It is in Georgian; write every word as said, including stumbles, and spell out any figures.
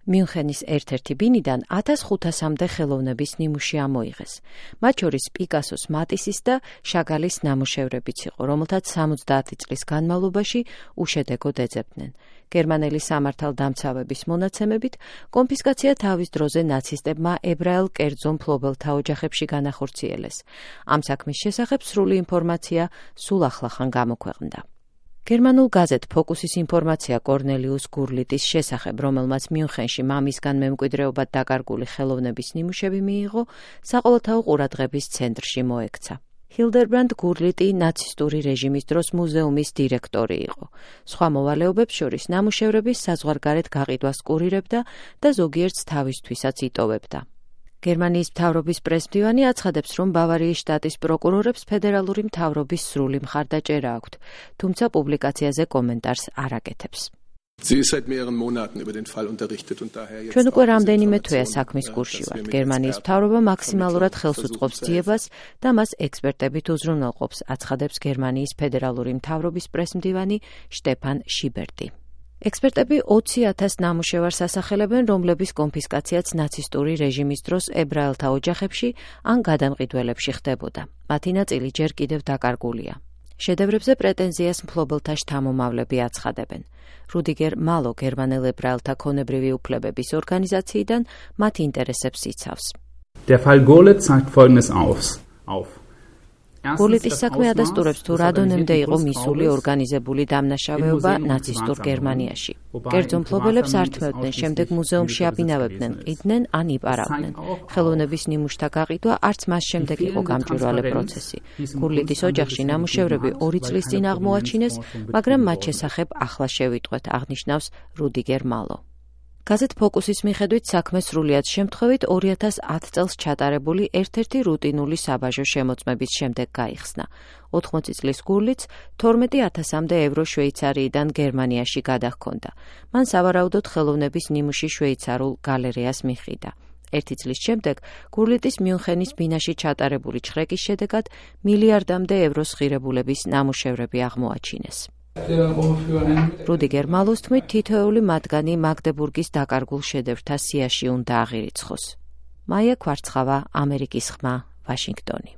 მიუნხენის ერთ-ერთი ბინიდან ათას ხუთასამდე ხელოვნების ნიმუში ამოიღეს. მათ შორის პიკასოს მატისის და შაგალის ნამუშევრებიც იყო, რომელთაც სამოცდაათი წლის განმავლობაში უშედეგოდ ეძებდნენ. გერმანელი სამართალდამცავების მონაცემებით, კონფისკაცია თავის დროზე ნაცისტებმა ებრაელ კერძო მფლობელთა ოჯახებში განახორციელეს. ამ საქმის შესახებ სრული ინფორმაცია სულ ახლახან გამოქვეყნდა. გერმანულ გაზეთ ფოკუსის ინფორმაცია კორნელიუს გურლიტის შესახებ, რომელმაც მიუნხენში მამისგან მემკვიდრეობად დაკარგული ხელოვნების ნიმუშები მიიღო, საყოველთაო ყურადღების ცენტრში მოექცა. ჰილდერბრანდ გურლიტი ნაცისტური რეჟიმის დროს მუზეუმის დირექტორი იყო. სხვა მოვალეობებს შორის ნამუშევრების საზღვარგარეთ გაყიდვას კურირებდა და ზოგიერთს თავისთვისაც იტოვებდა. გერმანიის მთავრობის პრესმდივანი აცხადებს, რომ ბავარიის შტატის პროკურორებს ფედერალური მთავრობის სრული მხარდაჭერა აქვთ, თუმცა პუბლიკაციაზე კომენტარს არ აკეთებს. ჩვენ უკვე რამდენიმე თვეა საქმის კურსში ვართ. გერმანიის მთავრობა მაქსიმალურად ხელს უწყობს ძიებას და მას ექსპერტებით უზრუნველყოფს, აცხადებს გერმანიის ფედერალური მთავრობის პრესმდივანი შტეფან შიბერტი. ექსპერტები ოცი ათას ნამუშევარს ასახელებენ, რომლების კონფისკაციაც ნაცისტური რეჟიმის დროს ებრაელთა ოჯახებში ან გადამყიდველებში ხდებოდა. მათი ნაწილი ჯერ კიდევ დაკარგულია. შედევრებზე პრეტენზიას მფლობელთა შთამომავლები აცხადებენ. რუდიგერ malo გერმანელ ებრაელთა ქონებრივი უფლებების ორგანიზაციიდან მათ ინტერესებს იცავს. Der Fall Gorlitz zeigt Folgendes auf. გურლიტის საქმე ადასტურებს, თუ რა დონემდე იყო მისული ორგანიზებული დამნაშავეობა ნაცისტურ გერმანიაში. კერძო მფლობელებს ართმევდნენ, შემდეგ მუზეუმში აბინავებდნენ, ყიდნენ ან იპარავდნენ. ხელოვნების ნიმუშთა გაყიდვა არც მას შემდეგ იყო გამჭვირვალე პროცესი. გურლიტის ოჯახში ნამუშევრები ორი წლის წინ აღმოაჩინეს, მაგრამ მათ შესახებ ახლა შევიტყვეთ, აღნიშნავს რუდიგერ malo. გაზეთ ფოკუსის მიხედვით საქმე სრულიად შემთხვევით ორი ათას ათ წელს ჩატარებული ერთ-ერთი რუტინული საბაჟო შემოწმების შემდეგ გაიხსნა. ოთხმოცი წლის გურლიც თორმეტი ათასამდე ევრო შვეიცარიიდან გერმანიაში გადაჰქონდა. მან სავარაუდოდ ხელოვნების ნიმუში შვეიცარულ გალერეას მიყიდა. ერთი წლის შემდეგ გურლიტის მიუნხენის ბინაში ჩატარებული ჩხრეკის შედეგად მილიარდამდე ევროს ღირებულების ნამუშევრები აღმოაჩინეს. რუდიგერ მალოს თქმით, თითოეული მათგანი მაგდებურგის დაკარგულ შედევრთა სიაში უნდა აღირიცხოს. მაია ქვარცხავა, ამერიკის ხმა, ვაშინგტონი.